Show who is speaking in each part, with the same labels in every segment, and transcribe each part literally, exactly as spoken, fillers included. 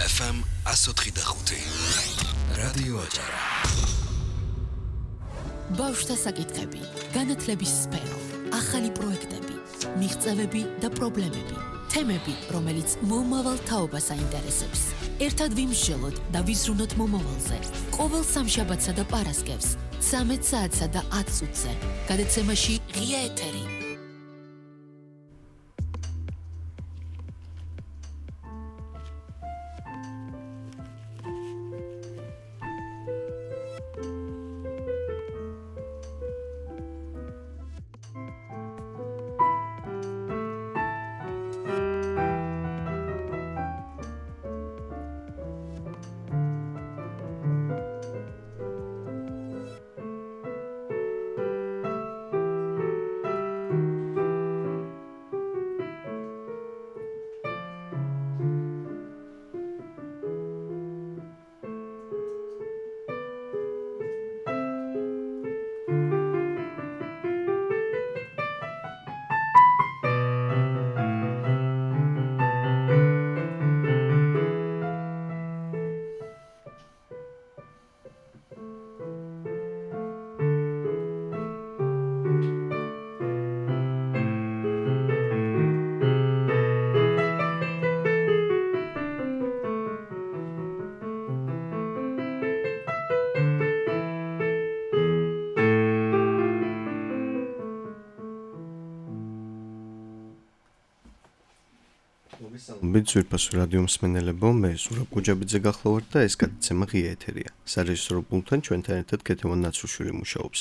Speaker 1: ეფ ემ one oh three point five რადიო აჭარა.
Speaker 2: ბავშვთა საკითხები, განათლების სფერო, ახალი პროექტები, მიღწევები და პრობლემები, თემები, რომელიც მომავალ თაობას აინტერესებს. ერთად ვიმსჯელოთ და ვიზრუნოთ მომავალზე. ყოველ სამშაბათსა და პარასკევს, ცამეტ საათსა და ათ წუთზე. გადაცემაში ღია ეთერი.
Speaker 3: მოგესალმებით რადიო მსმენელებო, მე ზურაბ გუჯაბიძე გახლავართ და ეს გადაცემა ღია ეთერია. სარეჟისორო პუნქტთან ჩვენთან ერთად ქეთევან ნაცრუშვილი მუშაობს.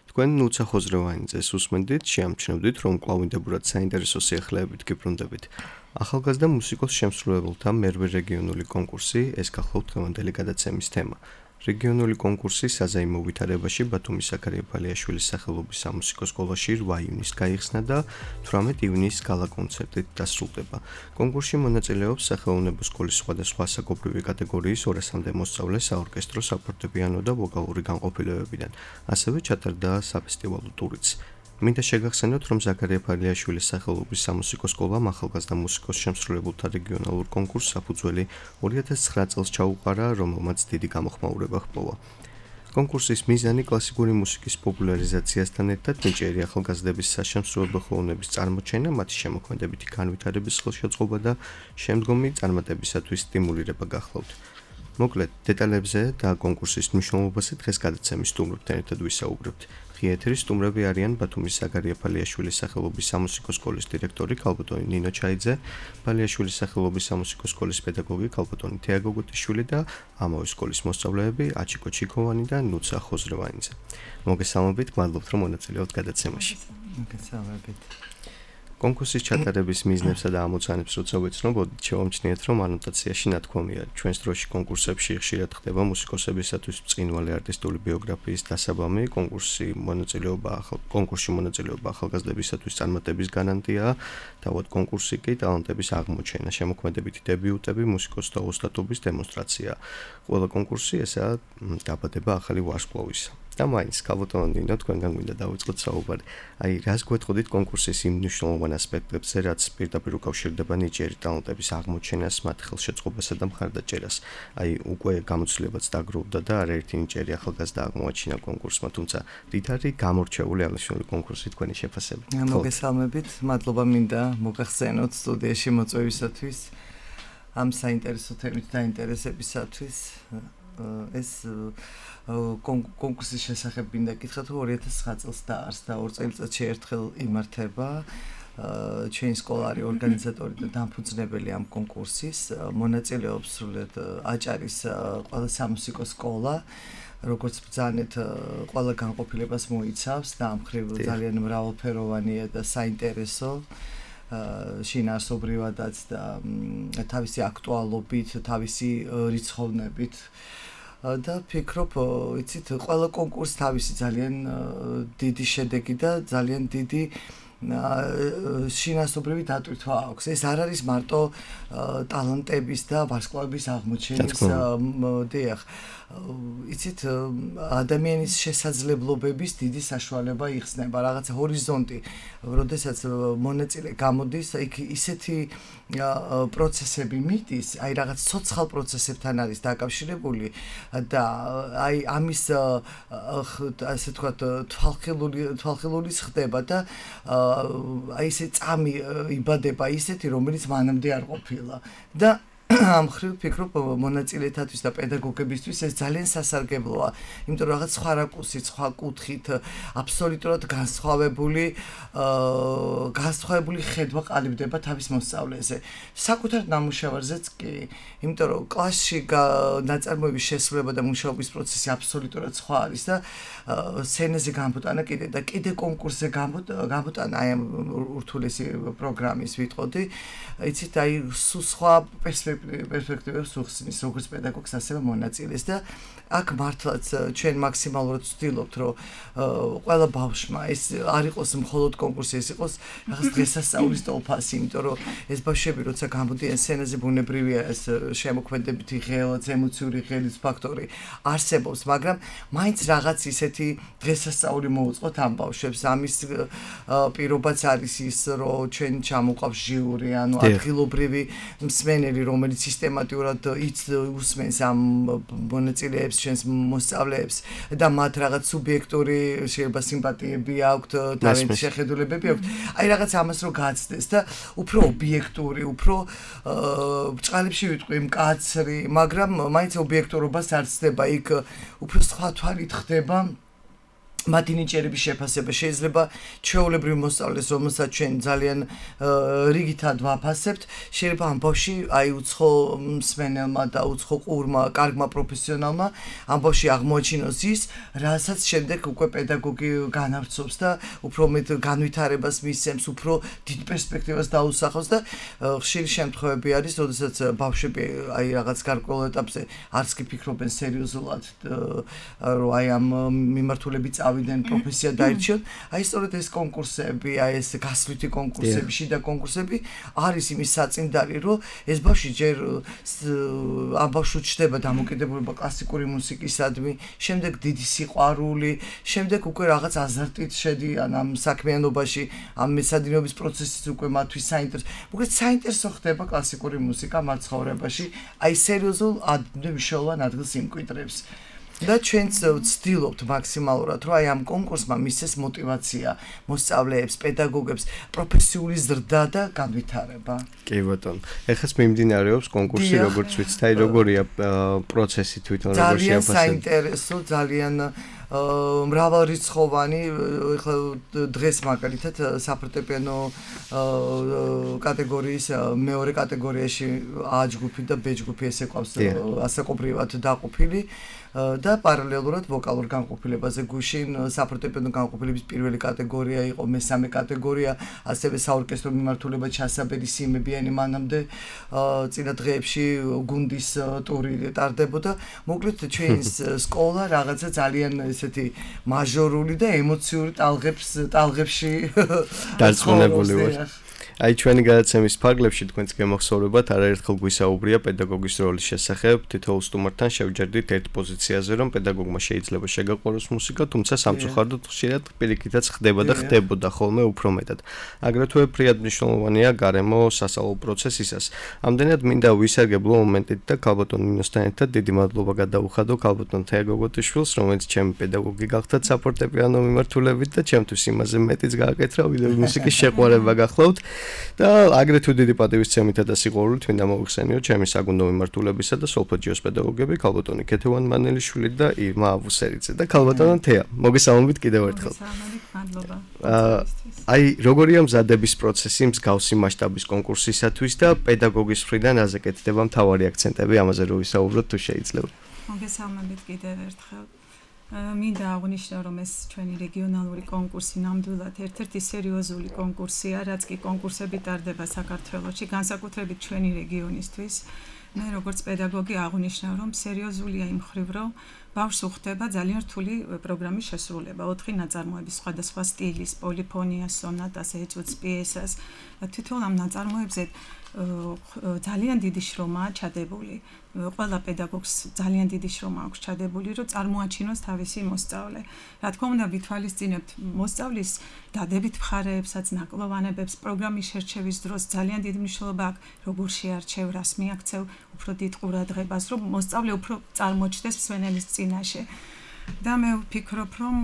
Speaker 3: თქვენ ნუცა ხოზრევანიძეს უსმენდით, შეამჩნევდით, რომ კვლავინდებურად საინტერესო სიახლეებით გიბრუნდებით. ახალგაზრდა მუსიკოს შემსრულებელთა მერვე რეგიონული კონკურსი, ეს გახლავთ დღევანდელი გადაცემის თემა. რეგიონული კონკურსი საზეიმო ვითარებაში ბათუმის ზაქარია ფალიაშვილის სახელობის სამუსიკო სკოლაში რვა ივნისს გაიხსნა და თვრამეტ ივნისს გალა კონცერტით დასრულდება. კონკურსში მონაწილეობს სახელოვნებო სკოლის სხვადასხვა ასაკობრივი კატეგორიის ორასამდე მოსწავლე საორკესტრო, საფორტეპიანო და ვოკალური განყოფილებებიდან. ასევე ჩატარდა საფესტივალო ტურიც. მინდა შეგახსენოთ, რომ ზაქარია ფალიაშვილის სახელობის სამუსიკო სკოლამ ახალგაზრდა მუსიკოს შემსრულებელთა რეგიონალურ კონკურსს საფუძველი ორი ათას ცხრა წელს ჩაუყარა, რომელმაც დიდი გამოხმაურება ჰპოვა. კონკურსის მიზანი კლასიკური მუსიკის პოპულარიზაციასთან ერთად ნიჭიერი ახალგაზრდების საშემსრულებლო ხელოვნების წარმოჩენა, მათი შემოქმედებითი განვითარების ხელშეწყობა და შემდგომი წარმატებისათვის სტიმულირება გახლავთ. მოკლედ, დეტალებზე და კონკურსის მნიშვნელობაზე დღეს გადაცემის სტუმრებთან ერთად ვისაუბრებთ. ღია ეთერის სტუმრები არიან ბათუმის ზაქარია ფალიაშვილის სახელობის სამუსიკო სკოლის დირექტორი ქალბატონი ნინო ჩაიძე, ფალიაშვილის სახელობის სამუსიკო სკოლის პედაგოგი ქალბატონი თეა გოგოტიშვილი და ამავე სკოლის მოსწავლეები აჩიკო ჩიქოვანი და ნუცა ხოზრევანიძე. მოგესალმებით, მადლობთ, რომ მონაწილეობთ გადაცემაში.
Speaker 4: მოგესალმებით.
Speaker 3: კონკურსის ჩატარების მიზნებსა და ამოცანებს როცა ვეცნობოდით, შევამჩნიეთ, რომ ანოტაციაში ნათქვამია, ჩვენს დროში კონკურსებში ხშირად ხდება მუსიკოსებისათვის ბრწყინვალე არტისტული ბიოგრაფიის დასაბამი, კონკურსი მონაწილეობა ახალ კონკურსში მონაწილეობა ახალგაზრდებისათვის წარმატების გარანტია, თავად კონკურსი კი ტალანტების აღმოჩენა, შემოქმედებითი დებიუტები, მუსიკოსთა ოსტატობის დემონსტრაცია. ყველა კონკურსი ესაა დაბადება ახალი ვარსკვლავისა. და მაინც ქალბატონი ნინო, თქვენგან მინდა დავიწყოთ საუბარი. აი, რას გვეთყოდით კონკურსის იმ მნიშვნელოვან ასპექტებზე, რაც პირდაპირ უკავშირდება ნიჭიერი ტალანტების აღმოჩენას, მათ ხელშეწყობასა და მხარდაჭერას. აი, უკვე გამოცდილებაც დაგროვდა და არაერთი ნიჭიერი ახალგაზრდა აღმოაჩინა კონკურსმა, თუმცა დიდარი გამორჩეული აღნიშნული კონკურსი თქვენი შეფასებით.
Speaker 4: მოგესალმებით, მადლობა მინდა მოგახსენოთ სტუდიაში მოწვევისათვის, ამ საინტერესო თემით დაინტერესებისათვის. ეს კონკურსის შესახებ მინდა გითხრათ, ორი ათას ცხრა წელს დაარსდა, ორ წელიწადში ერთხელ იმართება. ჩვენი სკოლა არის ორგანიზატორი და დამფუძნებელი ამ კონკურსის. მონაწილეობს სრულად აჭარის ყველა სამუსიკო სკოლა, როგორც ბრძანეთ, ყველა განყოფილებას მოიცავს და ამ მხრივ ძალიან მრავალფეროვანია და საინტერესო. შინაარსობრივადაც და თავისი აქტუალობით, თავისი რიცხოვნებით. და ფიქრობ, იცით, ყველა კონკურსს თავისი ძალიან დიდი შედეგი და ძალიან დიდი შინასობრივი დატვირთვა აქვს. ეს არ არის მარტო ტალანტების და ვარსკვლავების აღმოჩენის დიახ. იცით ადამიანის შესაძლებლობების დიდი საშუალება იხსნება, რაღაცა ჰორიზონტი, როდესაც მონაწილე გამოდის, იქ ისეთი პროცესები მიდის, აი რაღაც ცოცხალ პროცესებთან არის დაკავშირებული და აი ამის ასე თქვათ თვალხილული თვალხილულის ხდება და აი ესე წამი იბადება ისეთი, რომელიც მანამდე არ ყოფილა და ამ ხრივ ფიქრობ მონაწილეთათვის და პედაგოგებისთვის ეს ძალიან სასარგებლოა, იმიტომ რომ რაღაც სხვა რაკურსით, სხვა კუთხით აბსოლუტურად განსხვავებული განსხვავებული ხედვა ყალიბდება თავის მოსწავლეზე. საკუთარ ნამუშევარზეც კი, იმიტომ რომ კლასში ნაწარმოების შესრულება და მუშაობის პროცესი აბსოლუტურად სხვა არის და სცენაზე გამოტანა კიდე და კიდე კონკურსზე გამოტანა აი ამ ურთულესი პროგრამის ვიტყოდი, იცით აი სულ სხვა პერსპექტივებს უხსნის როგორც პედაგოგს, ასევე მონაწილეს და აქ მართლაც ჩვენ მაქსიმალურად ვცდილობთ, რომ ყველა ბავშვმა ეს არ იყოს მხოლოდ კონკურსი, ეს იყოს რაღაც დღესასწაულის ტოლფასი, იმიტომ რომ ეს ბავშვები როცა გამოდიან სცენაზე ბუნებრივია ეს შემოქმედებითი ღელაც, ემოციური ღელის ფაქტორი არსებობს, მაგრამ მაინც რაღაც ისეთი დღესასწაული მოუწყოთ ამ ბავშვებს. ამის პირობაც არის ის, რომ ჩვენ ჩამოყავს ჟიური, ანუ ადგილობრივი მსმენელი, რომელიც სისტემატურად უსმენს ამ მონაწილეებს, ჩვენს მოსწავლეებს და მათ რაღაც სუბიექტური შეიძლება სიმპათიები აქვთ, თავის შეხედულებები აქვთ. აი რაღაც ამას რო გაცდეს და უფრო ობიექტური, უფრო ბჭყალებში ვიტყვი მკაცრი, მაგრამ მაინც ობიექტურობას არ ცდება, იქ უფრო სხვა თვალით ხდება მათი ნიჭიერების შეფასება. შეიძლება ჩვეულებრივ მოსწავლეს, რომელსაც ჩვენ ძალიან რიგითად ვაფასებთ, შეიძლება ამ ბავშვი აი უცხო მსმენელმა და უცხო ყურმა, კარგმა პროფესიონალმა ამ ბავშვი აღმოაჩინოს ის, რასაც შემდეგ უკვე პედაგოგი განავრცობს და უფრო მეტ განვითარებას მისცემს, უფრო დიდ პერსპექტივას დაუსახავს და ხშირი შემთხვევები არის, როდესაც ბავშვები აი რაღაც გარკვეულ ეტაპზე არც კი ფიქრობენ სერიოზულად, რომ აი ამ მიმართულებით ვიდან პროფესია დაირჩიოთ, აი სწორედ ეს კონკურსები, აი ეს გასვლითი კონკურსები, შიდა კონკურსები არის იმის საწინდარი, რომ ეს ბავშვი ჯერ ამ ბავშვს ჩდება დამოკიდებულება კლასიკური მუსიკისადმი, შემდეგ დიდი სიყვარული, შემდეგ უკვე რაღაც აზარტით შედიან ამ საქმიანობაში, ამ მეცადინეობის პროცესიც უკვე მათთვის საინტერესო. მოკლედ საინტერესო ხდება კლასიკური მუსიკა მათ ცხოვრებაში, აი სერიოზულ მნიშვნელოვან ადგილს იმკვიდრებს. და ჩვენც ვცდილობთ მაქსიმალურად, რომ აი ამ კონკურსმა მისცეს მოტივაცია მოსწავლეებს, პედაგოგებს, პროფესიული ზრდა და განვითარება.
Speaker 3: კი ბატონო. ეხლა მიმდინარეობს კონკურსი, როგორც ვიცით, აი როგორია პროცესი თვითონ, როგორ შეაფასებთ?
Speaker 4: ძალიან საინტერესო, ძალიან მრავალრიცხოვანი, ეხლა დღეს მაგალითად საფორტეპიანო კატეგორიის მეორე კატეგორიაში A ჯგუფი და B ჯგუფი ესე ყავს ასაკობრივად დაყოფილი და პარალელურად ვოკალურ განყოფილებაზე გუშინ საფორტეპიანო განყოფილების პირველი კატეგორია იყო, მესამე კატეგორია, ასევე საორკესტრო მიმართულება ჩასაბერი სიმებიანი მანამდე წინა დღეებში გუნდის ტური ტარდებოდა. მოკლედ ჩვენს სკოლა რაღაცა ძალიან ესეთი მაჟორული და ემოციური ტალღებს ტალღებში
Speaker 3: დარწმუნებული ვარ. აი ჩვენი გადაცემის ფარგლებში თქვენს გემახსოვრებათ არაერთხელ გვისაუბრია პედაგოგის როლის შესახებ. თითოეულ სტუმართან შევჯერდით ერთ პოზიციაზე, რომ პედაგოგმა შეიძლება შეგაყვაროს მუსიკა, თუმცა სამწუხაროდ ხშირად პირიქითაც ხდება და ხდებოდა ხოლმე უფრო მეტად. აგრეთვე ფრიად მნიშვნელოვანია გარემო სასწავლო პროცესისას. ამდენად მინდა ვისარგებლო მომენტით და ქალბატონ ნინოსთან ერთად დიდი მადლობა გადაუხადო ქალბატონ თეაგოგოტიშვილს, რომელიც ჩემი პედაგოგი გახდათ საფორტეპიანო მიმართულებით და ჩემთვის იმაზე მეტიც გააკეთრა, ვიდრე მუსიკის შეყვარება გახლავთ. და აგრეთვე დიდი პატივისცემითა და სიყვარულით მინდა მოვიხსენიო ჩემი საგუნდო მიმართულებისა და სოლფეჯიოს პედაგოგები ქალბატონი ქეთევან მანელიშვილი და ირმა აბუსერიძე და ქალბატონო თეა. მოგესალმებით კიდევ ერთხელ.
Speaker 5: მადლობა.
Speaker 3: აი როგორია მზადების პროცესი მსგავსი მასშტაბის კონკურსისათვის და პედაგოგის მხრიდან აზე კეთდება მთავარი აქცენტები, ამაზე რო ვისაუბროთ თუ შეიძლება.
Speaker 5: მოგესალმებით კიდევ ერთხელ. მინდა აღვნიშნო, რომ ეს ჩვენი რეგიონალური კონკურსი ნამდვილად ერთ-ერთი სერიოზული კონკურსია, რაც კი კონკურსები ტარდება საქართველოში, განსაკუთრებით ჩვენი რეგიონისთვის. მე როგორც პედაგოგი აღვნიშნავ, რომ სერიოზულია იმ მხრივ, რომ ბავშვს უხდება ძალიან რთული პროგრამის შესრულება, ოთხი ნაწარმოების სხვადასხვა სტილის, პოლიფონიას, სონატას, ეჭვს, პიესას. თვითონ ამ ნაწარმოებზე ძალიან დიდი შრომაა ჩადებული. ყველა პედაგოგს ძალიან დიდი შრომა აქვს ჩადებული, რომ წარმოაჩინოს თავისი მოსწავლე. რა თქმა უნდა, ვითვალისწინებთ მოსწავლის დადებით მხარეებსაც, ნაკლოვანებებს, პროგრამის შერჩევის დროს ძალიან დიდი მნიშვნელობა აქვს, როგორ შეარჩევ, რას მიაქცევ, უფრო დიდ ყურადღებას, რომ მოსწავლე უფრო წარმოჩნდეს მსმენელის წინაშე. და მე ვფიქრობ, რომ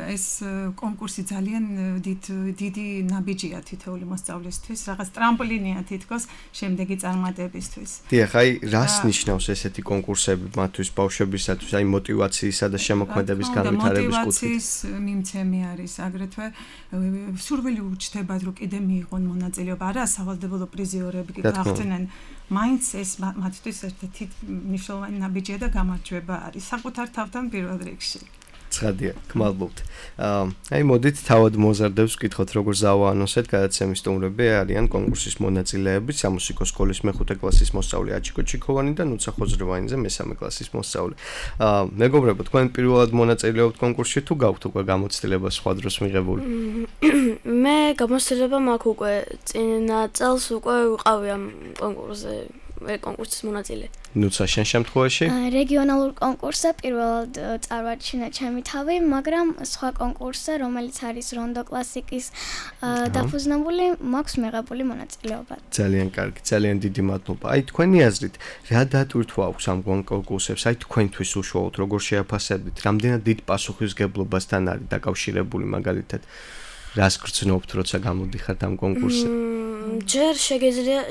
Speaker 5: ეს კონკურსი ძალიან დიდი ნაბიჯია თითოეული მოსწავლისთვის, რაღაც ტრამპლინია თითქოს შემდეგი წარმატებისთვის.
Speaker 3: დიახ, აი, რას ნიშნავს ესეთი კონკურსები მათთვის ბავშვებისათვის, აი мотиваციისა და შემოქმედების განვითარების კუთხით?
Speaker 5: мотиваციის მიმცემი არის, აგრეთვე სურვილი უჩნდებათ, რომ კიდე მიიღონ მონაწილეობა, არა სავალდებულო პრიზიორები კი გახდნენ. მაინც ეს მათთვის ერთ-ერთი მნიშვნელოვანი ნაბიჯია და გამარჯვება არის საკუთარ თავთან პირველ რიგში.
Speaker 3: ცხადია, გმადლობთ. აი, მოდით თავად მოზარდებს ვკითხოთ, როგორ ზავაანონსეთ გადაცემის სტუმრები არიან კონკურსის მონაწილეები, სამუსიკო სკოლის მეხუთე კლასის მოსწავლე აჩიკო ჩიქოვანი და ნუცა ხოძრევანიძე მესამე კლასის მოსწავლე. მეგობრებო, თქვენ პირველად მონაწილეობთ კონკურსში თუ გაქვთ უკვე გამოცდილება სხვა დროს მიღებული?
Speaker 6: მე გამოცდილება მაქვს უკვე წინა წელს უკვე ვიყავი ამ კონკურსზე. კონკურსის მონაწილე.
Speaker 3: ნუცა შენ შემთხვევაში?
Speaker 7: რეგიონალურ კონკურსზე პირველად წარვარჩინა ჩემი თავი, მაგრამ სხვა კონკურსზე, რომელიც არის რონდო კლასიკის დაფუძნებული, მაქვს მიღებული მონაწილეობა.
Speaker 3: ძალიან კარგი, ძალიან დიდი მადლობა. აი, თქვენი აზრით, რა დატვირთვა აქვს ამ კონკურსებს? აი, თქვენთვის უშუალოდ როგორ შეაფასებთ? რამდენად დიდ პასუხისგებლობასთან არის დაკავშირებული მაგალითად? რას გრძნობთ, როცა გამოდიხართ ამ კონკურსზე?
Speaker 6: ჯერ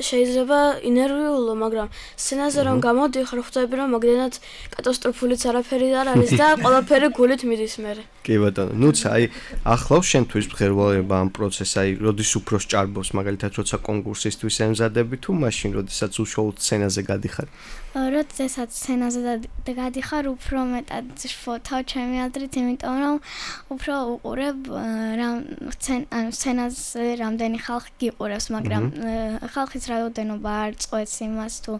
Speaker 6: შეიძლება ინერვიულო, მაგრამ სცენაზე რომ გამოდიხარ, ხვდები რომ მაგდენად კატასტროფულიც არაფერი არ არის და ყველაფერი გულით მიდის მერე.
Speaker 3: კი ბატონო, ნუცა, აი, ახლავს შენთვის მღერვალობა ამ პროცესს, აი, როდის უფრო სჭარბობს, მაგალითად, როცა კონკურსისთვის ემზადები თუ მაშინ, როდესაც უშუალოდ სცენაზე გადიხარ?
Speaker 7: როდესაც სცენაზე გადიხარ, უფრო მეტად შფოთავ ჩემი აზრით, იმიტომ რომ უფრო უყურებ სცენაზე რამდენი ხალხი გიყურებს, მაგრამ ხალხის რაოდენობა არ წყვეტს იმას თუ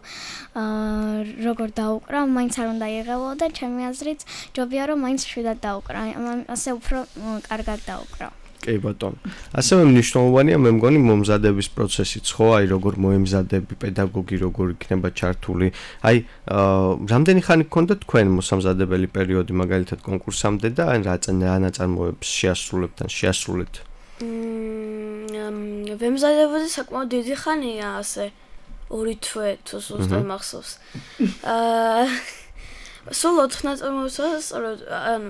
Speaker 7: როგორ დაუკრა, მაინც არ უნდა იღებო და ჩემი აზრით ჯობია რომ მაინც შვიდად დაუკრა, ასე უფრო კარგად დაუკრა.
Speaker 3: კი ბატონო. ასევე მნიშვნელოვანია მე მგონი მომზადების პროცესიც, ხო, აი როგორ მოემზადები, პედაგოგი როგორ იქნება ჩართული. აი, რამდენი ხანი გქონდა თქვენ მოსამზადებელი პერიოდი მაგალითად კონკურსამდე და ან რა ნაწარმოებს შეასრულებთ ან შეასრულეთ?
Speaker 6: მმ, ვემზადებოდი საკმაოდ დიდი ხანია, ასე ორი თვე თუ ზუსტად მახსოვს. აა სულ ოთხ ნაწარმოებს ანუ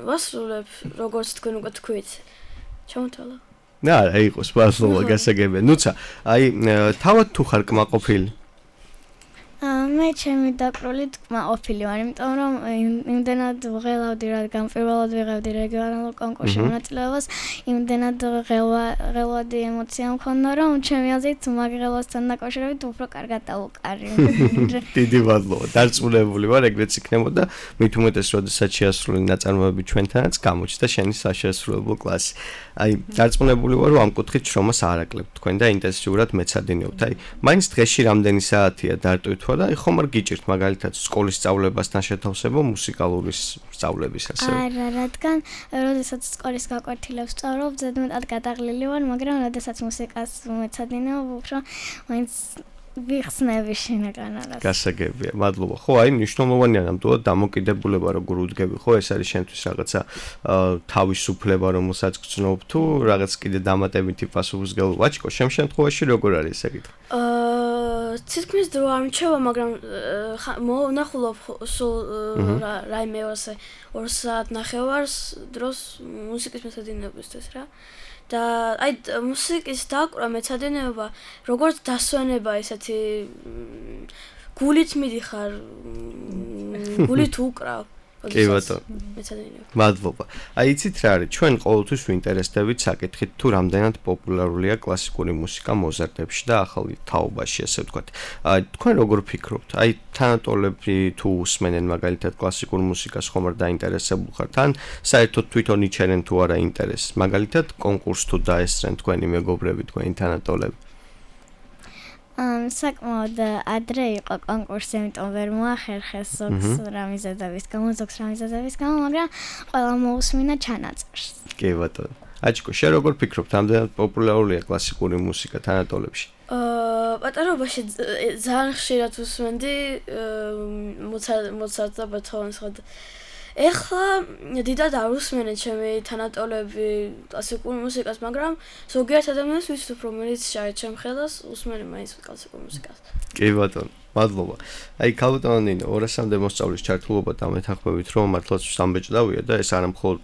Speaker 6: ვასრულებ, როგორც თქვენ უკვე თქვით. ჩამოთვალა.
Speaker 3: და არა, იყოს პასუხი გასაგებია. ნუცა, აი, თავად თუ ხარ კმაყოფილი?
Speaker 7: მე ჩემი დაკროლით კმაყოფილი ვარ, იმიტომ რომ იმდენად ვღელავდი, რადგან პირველად ვიღებდი რეგიონალურ კონკურსში მონაწილეობას, იმდენად ღელვადი ემოცია მქონდა, რომ ჩემი აზრით მაგ ღელვასთან დაკავშირებით უფრო კარგად დავუკარი.
Speaker 3: დიდი მადლობა. დარწმუნებული ვარ, ეგრეც იქნებოდა, მით უმეტეს, როდესაც შეასრულე ნაწარმოები ჩვენთანაც გამოჩნდა შენი საშეასრულებლო კლასი. აი, დარწმუნებული ვარ, რომ ამ კუთხით შრომას არ აკლებთ თქვენ და ინტენსიურად მეცადინეობთ. აი, მაინც დღეში რამდენი საათია დარტვირთვა და აი ხომ არ გიჭირთ მაგალითად სკოლის სწავლებასთან შეთავსება მუსიკალური სწავლების ასე?
Speaker 7: არა, რადგან როდესაც სკოლის გაკვეთილებს სწავლობ, ზედმეტად გადაღლილი ვარ, მაგრამ როდესაც მუსიკას მეცადინეობ, უფრო მაინც ვიხსნები შინაგანად.
Speaker 3: გასაგებია, მადლობა. ხო, აი მნიშვნელოვანია ნამდვილად დამოკიდებულება როგორ უდგები, ხო, ეს არის შენთვის რაღაცა თავისუფლება, რომელსაც გრძნობ თუ რაღაც კიდე დამატებითი პასუხისმგებლობა. აჩიკო, შენ შემთხვევაში როგორ არის ეს საკითხი?
Speaker 6: აა, თითქმის დრო არ მრჩება, მაგრამ მონახულობ სულ რაიმე ასე ორ საათ ნახევარს დროს მუსიკის მეცადინეობისთვის რა. და აი მუსიკის დაკვრა მეცადინეობა როგორც დასვენება ესეთი გულით მიდიხარ გულით უკრავ
Speaker 3: კი ბატონო. მადლობა. აი იცით რა არის? ჩვენ ყოველთვის ვინტერესდებით საკითხით თუ რამდენად პოპულარულია კლასიკური მუსიკა მოზარდებში და ახალი თაობაში, ასე ვთქვათ. აი თქვენ როგორ ფიქრობთ? აი თანატოლები თუ უსმენენ მაგალითად კლასიკურ მუსიკას ხომ არ დაინტერესებულ ხართ? ან საერთოდ თვითონ იჩენენ თუ არა ინტერესს? მაგალითად კონკურსს თუ დაესწრენ თქვენი მეგობრები, თქვენი თანატოლები?
Speaker 7: ამ საკმაოდ ადრე იყო კონკურსი, იმიტომ ვერ მოახერხეს ზოგს რამიზადების გამო, ზოგს რამიზადების გამო, მაგრამ ყველა მოусმინა ჩანაწერს. კი
Speaker 3: ბატონო. აჩკო, შენ როგორ ფიქრობ, რამდენად პოპულარულია კლასიკური მუსიკა თანატოლებში?
Speaker 6: აა, პატარობაში ძალიან ხშირად უსმენდი მოცარტს და ბეთჰოვენს ხად. ეხლა დიდად არ უსმენე ჩემი თანატოლები კლასიკურ მუსიკას, მაგრამ ზოგიერთ ადამიანს ვიცნობ, რომელიც შარეთ ჩემ ხელას უსმენე მაინც კლასიკურ მუსიკას.
Speaker 3: კი ბატონო. მადლობა. აი ქალბატონო ნინო, ორასამდე მოსწავლის ჩართულობა დამეთანხმებით, რომ მართლაც სამბეჭდავია და ეს არა მხოლოდ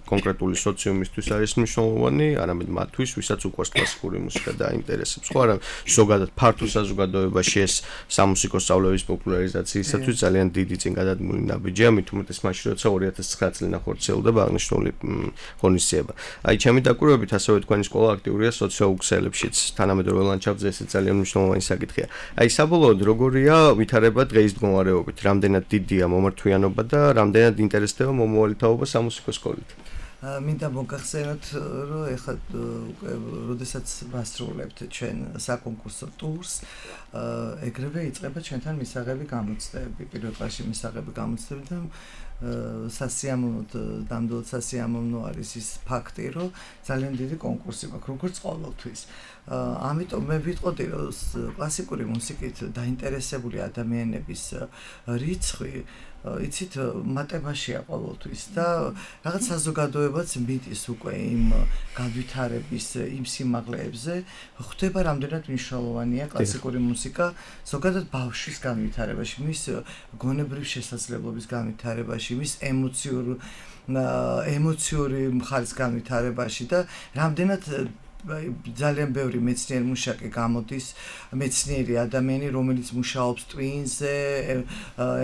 Speaker 3: კონკრეტული სოციუმისთვის არის მნიშვნელოვანი, არამედ მათთვის, ვისაც უყვარს კლასიკური მუსიკა და აინტერესებს. ხო არა, ზოგადად ფართო საზოგადოებაში ეს სამუსიკო სწავლების პოპულარიზაციისათვის ძალიან დიდი წინგადადგმული ნაბიჯია, მით უმეტეს მაშინ, როცა ორი ათას ცხრა წლიდან ხორციელდება აღნიშნული ღონისძიება. აი ჩემი დაკვირვებით, ასევე თქვენი სკოლა აქტიურია სოციოუქსელებშიც, თანამედროვე ლანდშაფტზე ეს ძალიან მნიშვნელოვანი საკითხია. აი საბოლოოდ როგორ გორია ვითარება დღეის მდგომარეობით, რამდენად დიდია მომართვიანობა და რამდენად ინტერესდება მომავალი თაობა სამუსიკო სკოლით.
Speaker 4: მინდა მოგახსენოთ, რომ ეხლა როდესაც ვასრულებთ ჩვენ საკონკურსო ტურს, ეგრევე იწყება ჩვენთან მისაღები გამოცდები, პირველ კლასში მისაღები გამოცდები და სასიამოვნოდ ნამდვილად სასიამოვნო არის ის ფაქტი, რომ ძალიან დიდი კონკურსი მაქვს, როგორც ყოველთვის. ამიტომ მე ვიტყოდი, რომ კლასიკური მუსიკით დაინტერესებული ადამიანების რიცხვი იცით მატებაშია ყოველთვის და რაღაც საზოგადოებაც მიტის უკვე იმ განვითარების იმ სიმაღლეებზე, ხვდება რამდენად მნიშვნელოვანია კლასიკური მუსიკა ზოგადად ბავშვის განვითარებაში, მის გონებრივ შესაძლებლობის განვითარებაში, მის ემოციურ ემოციური მხარის განვითარებაში და რამდენად ძალიან ბევრი მეცნიერი მუშაკი გამოდის, მეცნიერი ადამიანი, რომელიც მუშაობს ტვინზე,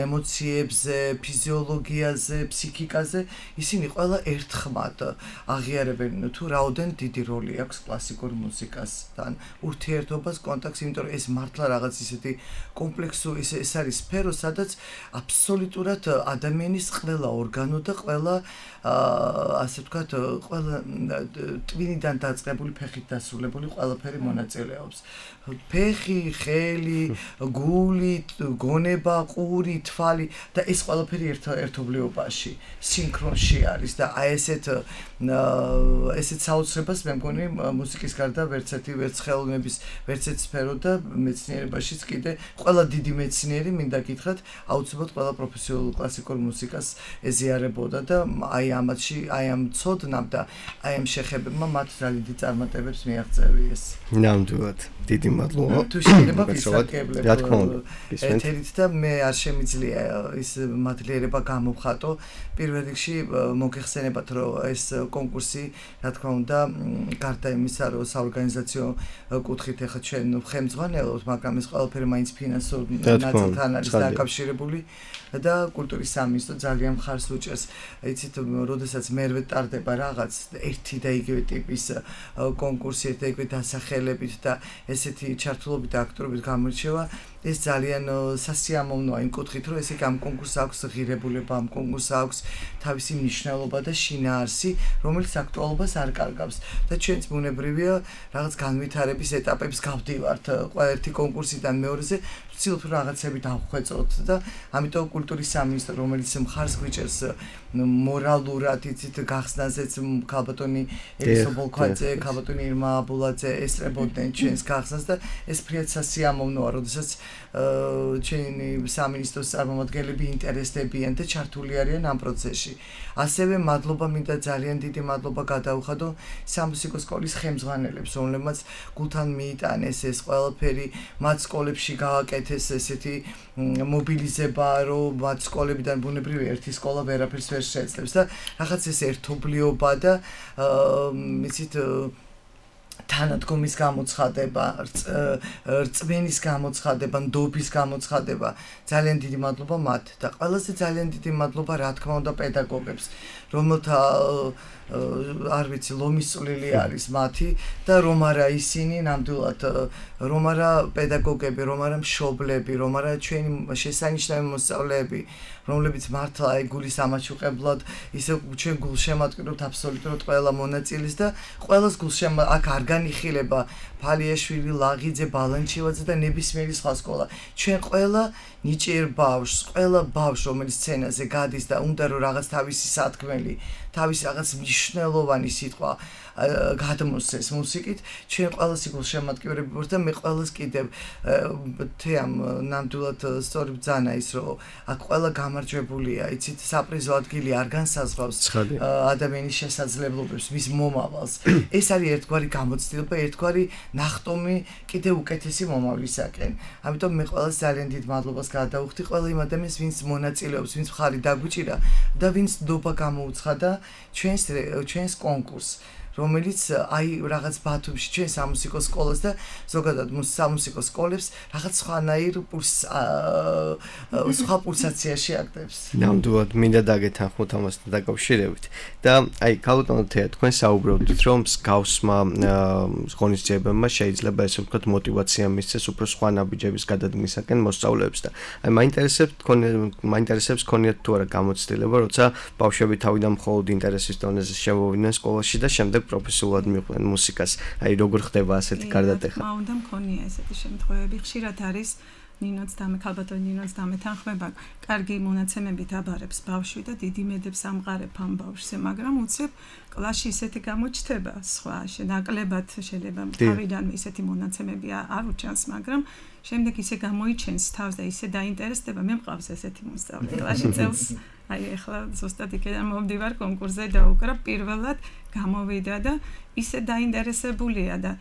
Speaker 4: ემოციებზე, ფიზიოლოგიაზე, ფსიქიკაზე, ისინი ყველა ერთხმად აღიარებენ თუ რაოდენ დიდი როლი აქვს კლასიკურ მუსიკასთან, ურთიერთობას, კონტაქტს, იმიტომ რომ ეს მართლა რაღაც ისეთი კომპლექსური ეს არის სფერო, სადაც აბსოლუტურად ადამიანის ყველა ორგანო და ყველა ასე ვთქვათ, ყველა ტვინიდან დაწყებული ფეხით დასრულებული ყველაფერი მონაწილეობს. ფეხი, ხელი, გული, გონება, ყური, თვალი და ეს ყველაფერი ერთობლიობაში, სინქრონში არის და აი ესეთ ესეთ საოცრებას მე მგონი მუსიკის გარდა ვერც ერთი ვერც ხელოვნების ვერც ერთ სფერო და მეცნიერებაშიც კიდე ყველა დიდი მეცნიერი მინდა გითხრათ აუცილებლად ყველა პროფესიონალურ კლასიკურ მუსიკას ეზიარებოდა და აი ამათში აი ამ ცოდნამ და აი ამ შეხებებმა მათ ძალიან დიდი წარმატებებს მიაღწევიეს.
Speaker 3: ნამდვილად. დიდი მადლობა.
Speaker 4: თუ შეიძლება ვისაკებლებ.
Speaker 3: რა თქმა უნდა.
Speaker 4: ეთერით და მე არ შემიძლია ის მადლიერება გამოვხატო. პირველ რიგში მოგეხსენებათ, რომ ეს კონკურსი, რა თქმა უნდა, გარდა იმისა, რომ საორგანიზაციო კუთხით ახლა ჩვენ ხელმძღვანელობთ, მაგრამ ეს ყველაფერი მაინც ფინანსურ ნაწილთან არის დაკავშირებული და კულტურის სამინისტრო ძალიან მხარს უჭერს. იცით, როდესაც მერვე ტარდება რაღაც ერთი და იგივე ტიპის კონკურსი, ერთ და იგივე დასახელებით და ესეთი ჩართულობით და აქტიურობით გამოირჩევა, ეს ძალიან სასიამოვნოა იმ კუთხით, რომ ესე ამ კონკურსს აქვს ღირებულება, ამ კონკურსს აქვს თავისი მნიშვნელობა და შინაარსი, რომელიც აქტუალობას არ კარგავს. და ჩვენც ბუნებრივია რაღაც განვითარების ეტაპებს გავდივართ, ყველა ერთი კონკურსიდან მეორეზე ვცდილობთ რაღაცები დავხვეწოთ და ამიტომ კულტურის სამინისტრო, რომელიც მხარს გვიჭერს მორალურად, იცით, გახსნაზეც ქალბატონი ელისო ბოლქვაძე, ქალბატონი ირმა აბულაძე ესწრებოდნენ ჩვენს გახსნას და ეს ფრიად სასიამოვნოა, როდესაც ჩვენი სამინისტროს წარმომადგენლები ინტერესდებიან და ჩართული არიან ამ პროცესში. ასევე მადლობა მინდა ძალიან დიდი მადლობა გადაუხადო სამუსიკო სკოლის ხელმძღვანელებს, რომლებმაც გულთან მიიტანეს ეს ყველაფერი, მათ სკოლებში გააკეთეს ესეთი მობილიზება, რომ მათ სკოლებიდან ბუნებრივი ერთი სკოლა ვერაფერს ვერ შეეძლებს და რაღაც ეს ერთობლიობა და იცით თანადგომის გამოცხადება, რწმენის გამოცხადება, ნდობის გამოცხადება. ძალიან დიდი მადლობა მათ და ყველაზე ძალიან დიდი მადლობა რა თქმა უნდა პედაგოგებს, რომელთა არ ვიცი, ლომის წვლილი არის მათი და რომ არა ისინი ნამდვილად რომ არა პედაგოგები, რომ არა მშობლები, რომ არა ჩვენი შესანიშნავი მოსწავლეები, რომლებიც მართლა ეგულის ამაჩუყებლად ისე ჩვენ გულშემატკივრობთ აბსოლუტურად ყველა მონაწილეს და ყველას გულშემატ აქ არ განიხილება ფალიაშვილი, ლაღიძე, ბალანჩივაძე და ნებისმიერი სხვა სკოლა. ჩვენ ყველა ნიჭიერ ბავშვს, ყველა ბავშვს, რომელიც სცენაზე გადის და უნდა რომ რაღაც თავისი სათქმელი, თავისი რაღაც მნიშვნელოვანი სიტყვა გადმოსცეს მუსიკით, ჩვენ ყველას გულშემატკივრები ვართ და მე ყველას კიდევ თეამ ნამდვილად სწორი ბრძანა ის რომ აქ ყველა გამარჯვებულია, იცით, საპრიზო ადგილი არ განსაზღვრავს ადამიანის შესაძლებლობებს, მის მომავალს. ეს არის ერთგვარი გამოცდილება, ერთგვარი ნახტომი კიდევ უკეთესი მომავლისაკენ. ამიტომ მე ყველას ძალიან დიდ მადლობას გადავუხდი ყველა იმ ადამიანს, ვინც მონაწილეობს, ვინც მხარი დაგვიჭირა და ვინც ნდობა გამოუცხადა ჩვენს ჩვენს კონკურსს. რომელიც აი რაღაც ბათუმში ჩვენ სამუსიკო სკოლას და ზოგადად სამუსიკო სკოლებს რაღაც სხვანაირ პულს სხვა პულსაციაში აკეთებს.
Speaker 3: ნამდვილად მინდა დაგეთანხმოთ ამასთან დაკავშირებით და აი ქალბატონო თეა თქვენ საუბრობთ რომ მსგავსმა ღონისძიებებმა შეიძლება ესე ვთქვათ мотиваცია მისცეს უფრო სხვა ნაბიჯების გადადგმისაკენ მოსწავლეებს და აი მაინტერესებს თქვენ მაინტერესებს ქონიათ თუ არა გამოცდილება როცა ბავშვები თავიდან მხოლოდ ინტერესის დონეზე შემოვიდნენ სკოლაში და შემდეგ პროფესიულად მიყვნენ მუსიკას. აი როგორ ხდება ასეთი გარდატეხა?
Speaker 5: რა უნდა მქონია ესეთი შემთხვევები. ხშირად არის ნინოც და მე ქალბატონი ნინოც დამეთანხმება, კარგი მონაცემებით აბარებს ბავშვი და დიდი მედებს ამყარებ ამ ბავშვზე, მაგრამ უცებ კლასში ისეთი გამოჩნდება სხვა, ნაკლებად შეიძლება თავიდან ისეთი მონაცემები არ უჩანს, მაგრამ შემდეგ ისე გამოიჩენს თავს და ისე დაინტერესდება, მე მყავს ესეთი მოსწავლე კლასში წელს. აი ახლა ზუსტად იქიდან მომდივარ კონკურსზე და უკრა პირველად გამოვიდა და ისე დაინტერესებულია და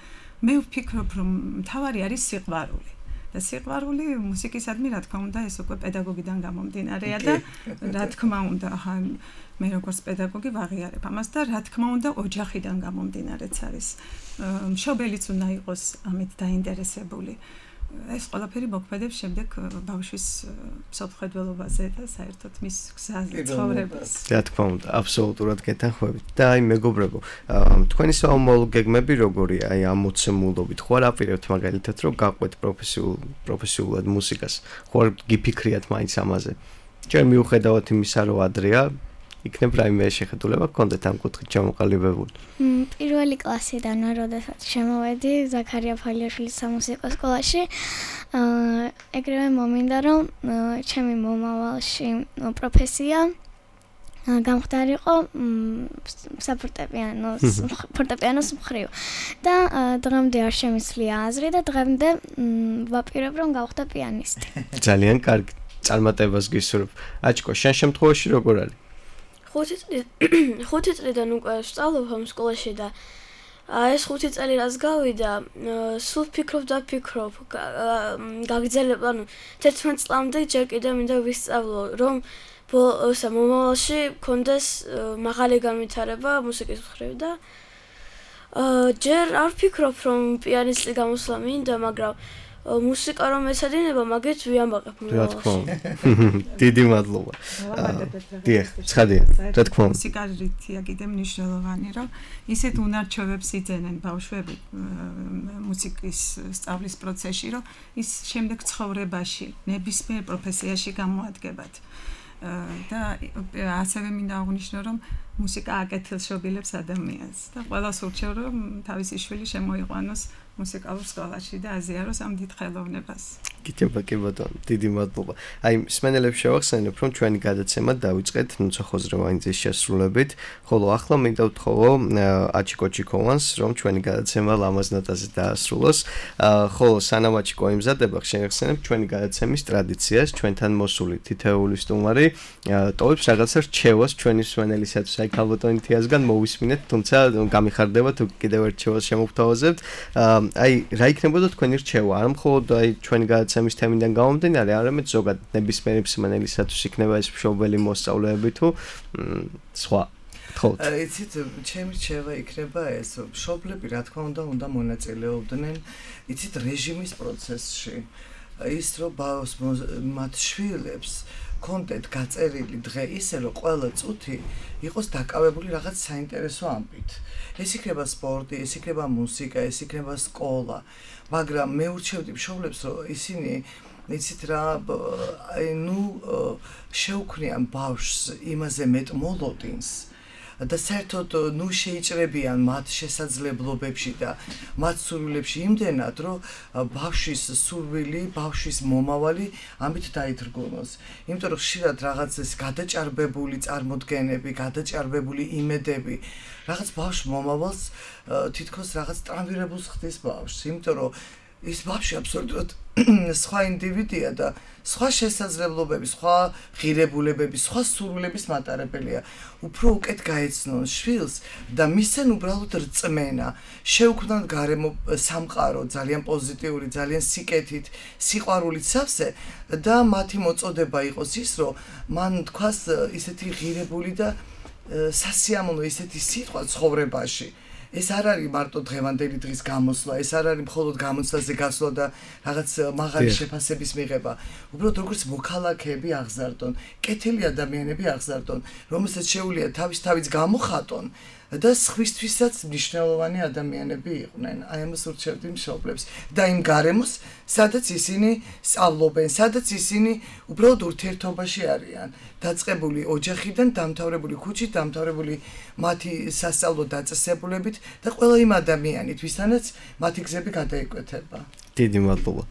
Speaker 5: მე ვფიქრობ რომ მთავარი არის სიყვარული და სიყვარული მუსიკისადმი რა თქმა უნდა ეს უკვე პედაგოგიდან გამომდინარეა და რა თქმა უნდა მე როგორც პედაგოგი ვაღიარებ ამას და რა თქმა უნდა ოჯახიდან გამომდინარეც არის მშობელიც უნდა იყოს ამით დაინტერესებული ეს ყველაფერი მოქმედებს შემდეგ ბავშვის სოფხედველობაზე და საერთოდ მის გზაზე ცხოვრებას.
Speaker 3: რა თქმა უნდა, აბსოლუტურად გეთანხმებით. და აი მეგობრებო, თქვენი საომოლო გეგმები როგორია? აი ამ მოცემულობით ხო არ აპირებთ მაგალითად რომ გაყვეთ პროფესიულ პროფესიულად მუსიკას? ხო არ გიფიქრიათ მაინც ამაზე? ჯერ მიუხედავად იმისა რომ ადრეა იქნებ რაიმე შეხედულება გქონდეთ ამ კუთხით ჩამოყალიბებული?
Speaker 7: პირველი კლასიდან როდესაც შემოვედი ზაქარია ფალიაშვილის სამუსიკო სკოლაში, ეგრევე მომინდა რომ ჩემი მომავალში პროფესია გამხდარიყო საფორტეპიანოს ფორტეპიანოს მხრივ და დღემდე არ შემიძლია აზრი და დღემდე ვაპირებ რომ გავხდე პიანისტი.
Speaker 3: ძალიან კარგი წარმატებას გისურვებ. აჩკო, შენ შემთხვევაში როგორ არის?
Speaker 6: ხუთი წლიდან უკვე ვსწავლობ ამ სკოლაში და ეს ხუთი წელი რაც გავიდა, სულ ფიქრობ და ფიქრობ, გაგრძელებ, ანუ თერთმეტ წლამდე ჯერ კიდევ მინდა ვისწავლო, რომ ბოლოსა მომავალში მქონდეს მაღალი განვითარება მუსიკის მხრივ და ჯერ არ ვფიქრობ, რომ პიანისტი გამოსვლა მინდა, მაგრამ მუსიკა რომ ეცადინება, მაგით ვიამბაყებ
Speaker 3: მომავალში. რა თქმა უნდა. დიდი მადლობა. დიახ, ცხადია. რა თქმა უნდა.
Speaker 5: მუსიკა რითია კიდე მნიშვნელოვანი, რომ ისეთ უნარჩვევებს იძენენ ბავშვები მუსიკის სწავლის პროცესში, რომ ის შემდეგ ცხოვრებაში, ნებისმიერ პროფესიაში გამოადგებათ. და ასევე მინდა აღვნიშნო, რომ მუსიკა აკეთილშობილებს ადამიანს და ყველას ურჩევ, რომ თავისი შვილი შემოიყვანოს მუსიკალურ სკოლაში და აზიაროს ამ დიდ ხელოვნებას.
Speaker 3: გიჩება კი ბატონო, დიდი მადლობა. აი, მსმენელებს შევახსენებ, რომ ჩვენი გადაცემა დავიწყეთ ნუცა ხოზრევანიძის შესრულებით, ხოლო ახლა მინდა ვთხოვო აჩიკო ჩიკოვანს, რომ ჩვენი გადაცემა ლამაზ ნოტაზე დაასრულოს. ხოლო სანამ აჩიკო იმზადება, შევახსენებ ჩვენი გადაცემის ტრადიციას, ჩვენთან მოსული თითოეული სტუმარი ტოვებს რაღაცა რჩევას ჩვენი მსმენელისათვის. აი, ქალბატონი თეასგან მოვისმინეთ, თუმცა გამიხარდება თუ კიდევ ერთ რჩევას შემოვთავაზებთ. აი, რა იქნებოდა თქვენი რჩევა? არ მხოლოდ აი ჩვენი გადაცემის თემიდან გამომდინარე, არამედ ზოგადად ნებისმიერი მსმენელისათვის იქნება ეს მშობელი მოსწავლეები თუ სხვა. გთხოვთ.
Speaker 4: იცით, ჩემი რჩევა იქნება ეს, მშობლები რა თქმა უნდა უნდა მონაწილეობდნენ, იცით, რეჟიმის პროცესში. ის რომ ბავშვს მათ შვილებს კონტენტ გაწერილი დღე ისე რომ ყველა წუთი იყოს დაკავებული რაღაც საინტერესო ამბით. ეს იქნება სპორტი, ეს იქნება მუსიკა, ეს იქნება სკოლა, მაგრამ მე ურჩევდი მშობლებს რომ ისინი იცით რა, ნუ შეუქმნიან ბავშვს იმაზე მეტ მოლოდინს და საერთოდ ნუ შეიჭრებიან მათ შესაძლებლობებში და მათ სურვილებში იმდენად, რომ ბავშვის სურვილი, ბავშვის მომავალი ამით დაითრგუნოს. იმიტომ რომ ხშირად რაღაც ეს გადაჭარბებული წარმოდგენები, გადაჭარბებული იმედები, რაღაც ბავშვს მომავალს თითქოს რაღაც ტრანვირებულს ხდის ბავშვს, იმიტომ რომ ის ბავშვი აბსოლუტურად სხვა ინდივიდია და სხვა შესაძლებლობების, სხვა ღირებულებების, სხვა სურვილების მატარებელია. უფრო უკეთ გაეცნონ შვილს და მისცენ უბრალოდ რწმენა, შეუქმნან გარემო სამყარო, ძალიან პოზიტიური, ძალიან სიკეთით, სიყვარულით სავსე და მათი მოწოდება იყოს ის, რომ მან თქვას ისეთი ღირებული და სასიამოვნო ისეთი სიტყვა ცხოვრებაში. ეს არ არის მარტო დღევანდელი დღის გამოსვლა, ეს არ არის მხოლოდ გამოცდაზე გასვლა და რაღაც მაღალი შეფასების მიღება. უბრალოდ როგორც მოქალაქეები აღზარდონ, კეთილი ადამიანები აღზარდონ, რომელსაც შეუძლია თავის თავის გამოხატონ და სხვისთვისაც მნიშვნელოვანი ადამიანები იყვნენ. აი ამას ურჩევდი მშობლებს და იმ გარემოს, სადაც ისინი სწავლობენ, სადაც ისინი უბრალოდ ურთიერთობაში არიან, დაწყებული ოჯახიდან, დამთავრებული ქუჩით, დამთავრებული მათი სასწავლო დაწესებულებით და ყველა იმ ადამიანით, ვისთანაც მათი გზები გადაიკვეთება.
Speaker 3: დიდი მადლობა.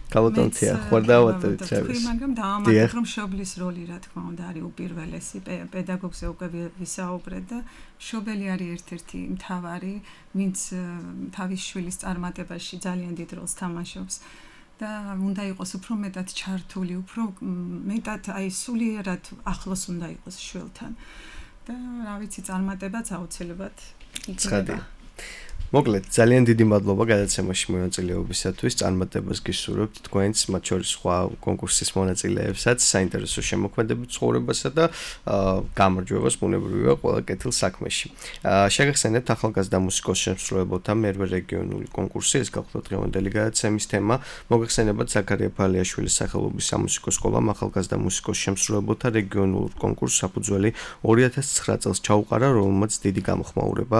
Speaker 3: კალოდონცია, ხوار დავატოვეთ ჩემს.
Speaker 5: მაგრამ დაამატებ, რომ მშობლის როლი, რა თქმა უნდა, არის უპირველესი, პედაგოგზე უკვე ვისაუბრეთ და მშობელი არის ერთ-ერთი მთავარი, ვინც თავის შვილის წარმატებაში ძალიან დიდ როლს თამაშობს. და უნდა იყოს უფრო მეტად ჩართული, უფრო მეტად აი სულიერად ახლოს უნდა იყოს შვილთან. და რა ვიცი, წარმატებაც აუცილებლად იქნება.
Speaker 3: მოკლედ, ძალიან დიდი მადლობა გადაცემაში მონაწილეობისათვის. წარმატებას გისურვებთ თქვენს, მათ შორის სხვა კონკურსის მონაწილეებსაც, საინტერესო შემოქმედებით ცხოვრებასა და გამარჯვებას ბუნებრივია ყველა კეთილ საქმეში. შეგახსენებთ ახალგაზრდა მუსიკოს შემსრულებელთა მერვე რეგიონული კონკურსი, ეს გახლავთ დღევანდელი გადაცემის თემა. მოგეხსენებათ ზაქარია ფალიაშვილის სახელობის სამუსიკო სკოლამ ახალგაზრდა მუსიკოს შემსრულებელთა რეგიონულ კონკურსს საფუძველი ორი ათას ცხრა წელს ჩაუყარა, რომელმაც დიდი გამოხმაურება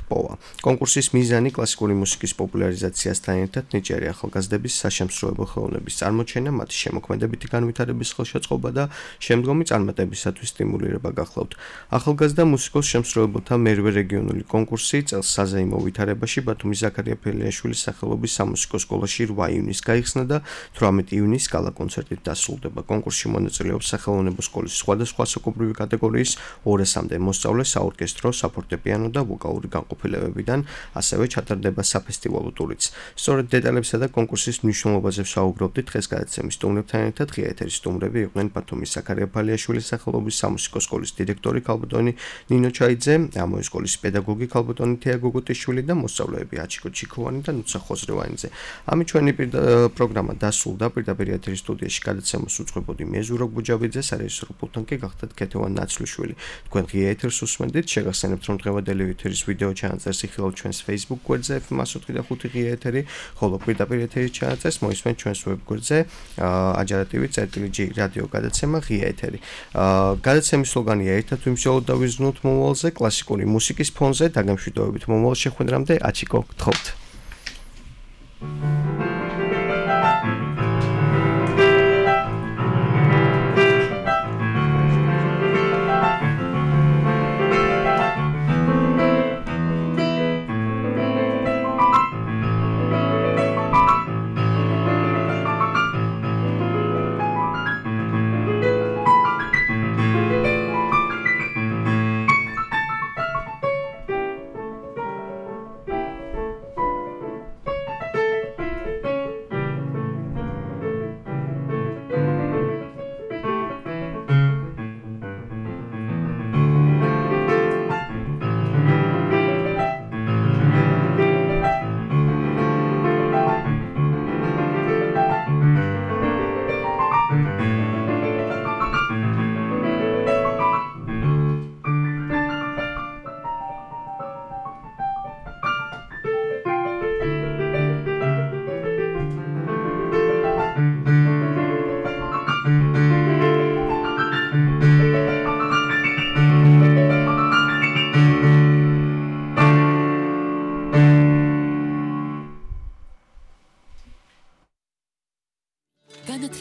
Speaker 3: ჰპოვა. კონკურსის მიზანი კლასიკური მუსიკის პოპულარიზაციასთან ერთად ნიჭიერი ახალგაზრდების საშემსრულებლო ხელოვნების წარმოჩენა, მათი შემოქმედებითი განვითარების ხელშეწყობა და შემდგომი წარმატებისათვის სტიმულირება გახლავთ. ახალგაზრდა მუსიკოს შემსრულებელთა მერვე რეგიონული კონკურსი წელს საზეიმო ვითარებაში ბათუმის ზაქარია ფალიაშვილის სახელობის სამუსიკო სკოლაში რვა ივნისს გაიხსნა და თვრამეტი ივნისს გალა კონცერტით დასრულდება. კონკურსში მონაწილეობს სახელოვნებო სკოლის სხვადასხვა საკუთრივი კატეგორიის ორასამდე მოსწავლე, საორკესტრო, საფორტეპიანო და ვოკალური განყოფილებები. ასევე ჩატარდება საფესტივალო ტურიც. სწორედ დეტალებსა და კონკურსის მნიშვნელობაზე ვსაუბრობდით დღეს გადაცემის სტუმრებთან ერთად. ღია ეთერის სტუმრები იყვნენ ბათუმის ზაქარია ფალიაშვილის სახელობის სამუსიკო სკოლის დირექტორი ქალბატონი ნინო ჩაიძე, ამოის სკოლის პედაგოგი ქალბატონი თეა გოგოტიშვილი და მოსწავლეები აჩიკო ჩიქოვანი და ნუცა ხოზრევანიძე. ამით ჩვენი პროგრამა დასრულდა. პირდაპირ ეთერის სტუდიაში გადაცემას უძღვებოდი მე ზურაბ გუჯაბიძე, სარეჟისორო პულტთან კი გახდათ ქეთევან ნაცვლიშვილი. თქვენ ღია ეთერს უსმენდით. შეგახსენებთ რომ დღევანდელი ეთერის ვიდეო ჩანაწერს იხილავთ ჩვენს Facebook გვერდზე ეფ ემ ოცდაოთხი და ხუთი ღია ეთერი, ხოლო პირდაპირ ეთერის ჩანაწერს მოისმენთ ჩვენს ვებ გვერდზე აჯარატივი წერტილი ჯი რადიო გადაცემა ღია ეთერი. გადაცემის სლოგანია ერთად ვიმსჯელოთ და ვიზრუნოთ მომავალზე, კლასიკური მუსიკის ფონზე, დაგემშვიდობებით მომავალ შეხვედრამდე, აჩიკო, გთხოვთ.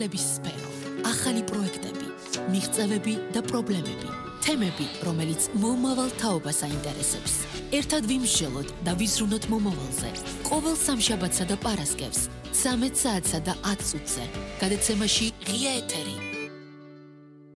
Speaker 2: განათლების სფერო, ახალი პროექტები, მიღწევები და პრობლემები, თემები, რომელიც მომავალ თაობას აინტერესებს. ერთად ვიმსჯელოთ და ვიზრუნოთ მომავალზე. ყოველ სამშაბათსა და პარასკევს, ცამეტ საათსა და ათ წუთზე. გადაცემაში ღია ეთერი.